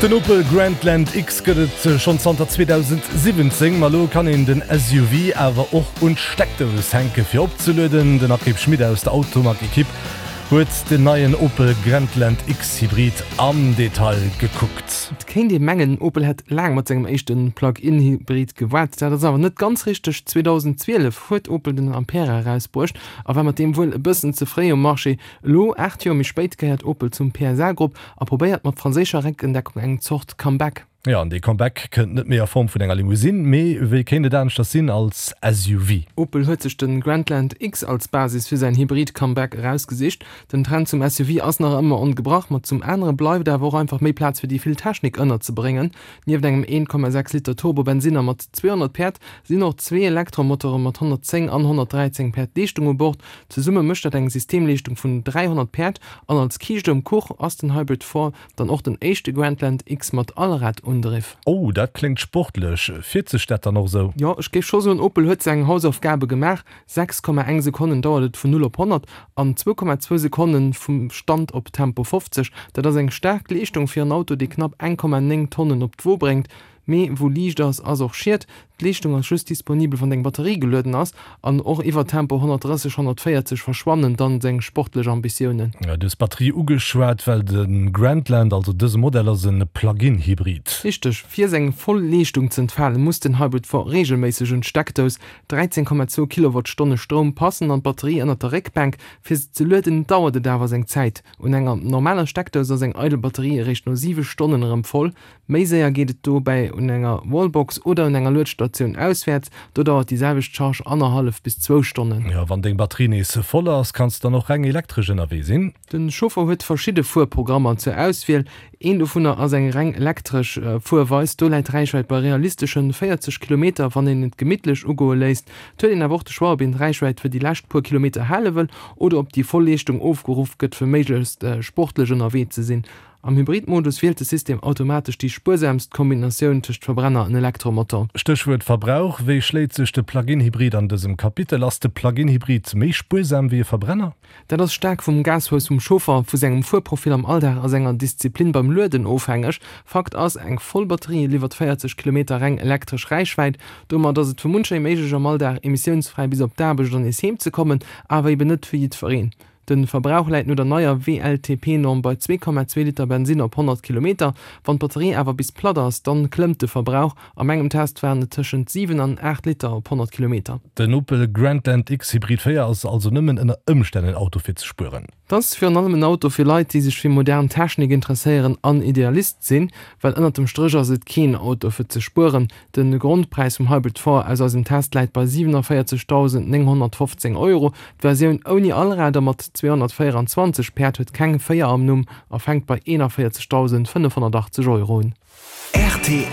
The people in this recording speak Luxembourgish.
Den Opel Grandland X gëtt et schonn zanter 2017, ma elo kann een den SUV awer och un d'Steckdous hänke fir opzelueden. Den Akrib Schmit aus der Automag-Ekipp huet den neien Opel Grandland X Hybrid am Detail gekuckt. Et kéint ee mengen, Opel hätt laang mat sengem éischte Plug-in-Hybrid gewaart. Dat ass awer net ganz richteg. 2012 huet Opel den Ampera erausbruecht a war mat deem wuel e bëssen ze fréi um Marché. Elo, 8 Joer méi spéit, gehéiert Opel zum PSA-Grupp a probéiert mat franséischer Réckendeckung eng Zort Comeback. Jo, an dee Comeback kënnt net méi a Form vun enger Limousine, mee wéi kéint et aneschters sinn, als SUV. Opel huet sech de Grandland X als Basis fir säin Hybrid-Comeback erausgesicht. Den Trend zum SUV ass nach ëmmer ongebrach, ma zum anere bleift awer och einfach méi Plaz fir déi vill Technik ënnerzebréngen. Nieft engem 1,6 Liter Turbo-Bensinner mat 200 Päerd sinn och zwee Elektromotore mat 110 an 113 Päerd Leeschtung u Bord. Zesumme mécht dat eng Systemleeschtung vun 300 Päerd an als Kiischt um Kuch ass den Hybrid 4 Dann och den éischte Grandland X mat Allradundriff. Oh, dat kléngt sportlech. Fiert sech dat dann och esou? Jo, ech géif scho soen, Opel huet seng Hausaufgabe gemaach. 6,1 Sekonnen dauert et vun 0 op 100 an 2,2 Sekonnen vum Stand op Tempo 50. Dat ass eng staark Leeschtung fir en Auto, dee knapp 1,9 Tonnen op d'Wo bréngt. Mee wou Liicht ass, ass och Schied. D'Leeschtung ass just disponibel, wann deng Batterie gelueden ass. An och iwwer Tempo 130, 140 verschwannen dann seng sportlech Ambitiounen. Du hues d'Batterie ugeschwat, well de Grandland, also dëse Modell, ass e Plug-in-Hybrid. Richteg. Fir seng voll Leeschtung z'entfalen, muss den Hybrid 4 reegelméisseg un d'Steckdous. 13,2 Kilowattstonne Stroum passen an d'Batterie ënnert der Réckbänk. Fir se ze lueden, dauert et awer seng Zäit. Un enger normaler Steckdous ass eng eidel Batterie eréischt no 7 Stonnen erëm voll. Méi séier geet et dobäi un enger Wallbox oder un enger Luedstatioun auswäerts, do dauert déi selwecht Charge annerhallef bis zwou Stonnen. Jo, wann deng Batterie nees voll ass, kanns de dann och reng elektresch ënnerwee sinn. De Chauffer huet verschidde Fuerprogrammer zur Auswiel. Een dovunner ass eng reng elektresch Fuerweis. Do läit d'Räichwäit bei realisteschen 40 Kilometer, wann een et gemittlech ugoe léisst. Et huet een awer och de Choix, ob een d'Räichwäit fir déi lescht puer Kilometer hale wëll oder ob déi voll Leeschtung ofgeruff gëtt, fir méiglechst sportlech ënnerwee ze sinn. Am Hybrid-Modus wielt de System automatesch déi spuersaamst Kombinatioun tëscht Verbrenner an Elektromotor. Stéchwuert Verbrauch, Wéi schléit sech de Plug-in-Hybrid an dësem Kapitel? Ass de Plug-in-Hybrid méi spuersam wéi e Verbrenner? Dat ass staark vum Gashouss vum Chauffer, vu sengem Fuerprofil am Alldag a senger Disziplin beim Lueden ofhängeg. Fakt ass, eng voll Batterie liwwert 40 Kilometer reng elektresch Räichwäit. Domat ass et fir muncher ee méiglech am Alldag emissiounsfräi bis op d'Aarbecht an nees heem ze kommen, awer eben net fir jiddwereen. De Verbrauch läit no der neier WLTP-Norm bei 2,2 Liter Bensinn op 100 Kilometer. Wann d'Batterie awer bis platt ass, dann klëmmt de Verbrauch. A mengem Test waren et tëschent 7 an 8 Liter op 100 Kilometer. Den Opel Grandland X Hybrid 4 ass also nëmmen ënner Ëmstänn en Auto fir ze spueren. Et ass virun allem en Auto fir Leit, déi sech fir modern Technik interesséieren an Idealist sinn, well ënnert dem Stréch ass et keen Auto fir ze spueren. De Grondpräis vum Hybrid 4 aus eisem Test läit bei 47.915 Euro. D'Versioun ouni Allrad a mat 224 Päerd huet keng 4 am Numm a fänkt bei 41.580 Euro un. Rtl.